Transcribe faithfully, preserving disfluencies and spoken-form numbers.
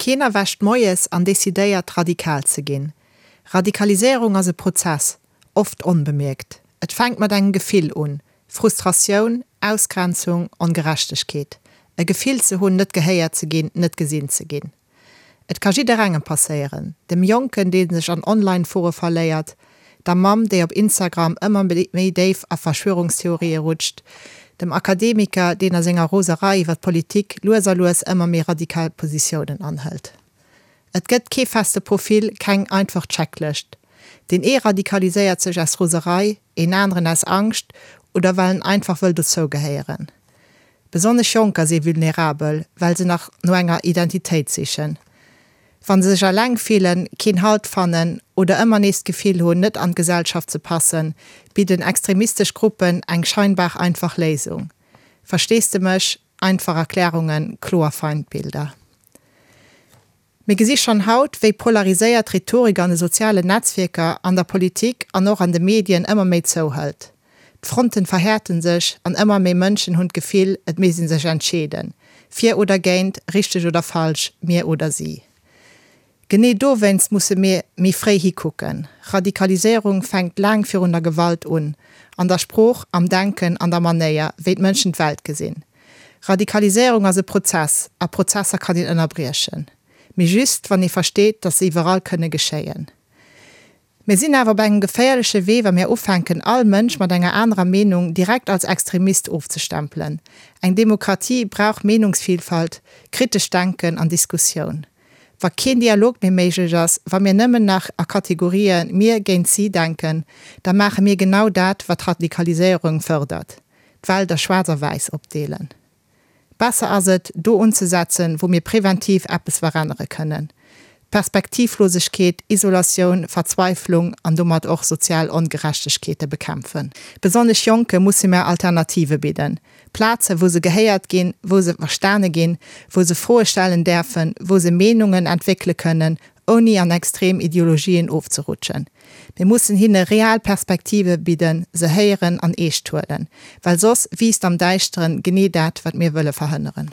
Keen erwächt moies an decidéiert, radikal ze ginn. Radikaliséierung ass e Prozess, oft onbemierkt. Et fänkt mat engem Gefill un, Frustratioun, Ausgrenzung, Ongerechtegkeet. E Gefill ze hunn, net gehéiert ze ginn, net gesinn ze ginn. Et ka jidderengem passéieren, dem Jonken, dee sech an Online-Fore verléiert, der Mamm, déi op Instagram ëmmer méi déif a Verschwörungstheorië rutscht, dem Akademiker, deen a senger Roserei iwwer d'Politik lues a lues ëmmer méi radikal Positiounen anhëlt. Et gëtt kee feste Profil, keng einfach Checklëscht. Deen ee radikaliséiert sech aus Roserei, een aneren aus Angscht oder well en einfach wëll dozougehéieren. Besonnesch Jonker si vulnerabel, well se nach no enger Identitéit sichen. Wa se sech eleng fillen, keen Halt fannen oder ëmmer nees d'Gefill hunn, net an d'Gesellschaft ze passen, bidden extremistesch Gruppen eng scheinbar einfach Léisung. Versteesdemech, einfach Erklärungen, kloer Feindbilder. Mir gesi schonn haut, wéi polariséiert Rhetorik an de sozialen Netzwierker, an der Politik an och an de Medien ëmmer méi zouhëlt. D'Fronten verhäerten sech an ëmmer méi Mënschen hunn d'Gefill, et misst ee sech entscheeden, fir oder géint, richteg oder falsch, mir oder si. Genee dowéinst musse mir méi fréi hikucken. Radikaliséierung fänkt laang virun der Gewalt un, an der Sprooch, am Denken, an der Manéier, wéi d'Mënschen d'Welt gesinn. Radikaliséierung ass e Prozess, a Prozesser kann een ënnerbriechen. Mee just, wann ee versteet, dass se iwwerall kënne geschéien. Mir sinn awer op engem geféierleche Wee, wa mir ufänken, all Mënsch mat enger anerer Meenung direkt als Extremist ofzestempelen. Eng Demokratie brauch Meenungsvielfalt, kritescht Denken an Diskussioun. Wa keen Dialog méi méiglech ass, wa mir nëmmen nach a Kategorien mir géint si denken, da maache mir genau dat, wat Radikaliséierung fërdert, d'Welt a schwaarz a wäiss opdeelen. Besser ass et, do unzesetzen, wou mir preventiv eppes verännere kënnen. Perspektivlosegkeet, Isolatioun, Verzweiflung an domat och sozial Ongerechtegkeete bekämpfen. Besonnesch Jonke musse mir Alternative bidden. Plaze wou se gehéiert ginn, wou se verstane ginn, wou se Froe stellen däerfen, wou se Meenungen entwéckele kënnen, ouni an extrem Ideologien ofzerutschen. Mir mussen hinne real Perspektive bidden, se héieren an eescht huelen, well soss wiisst am Däischteren genee dat, wat mir wëlle verhënneren.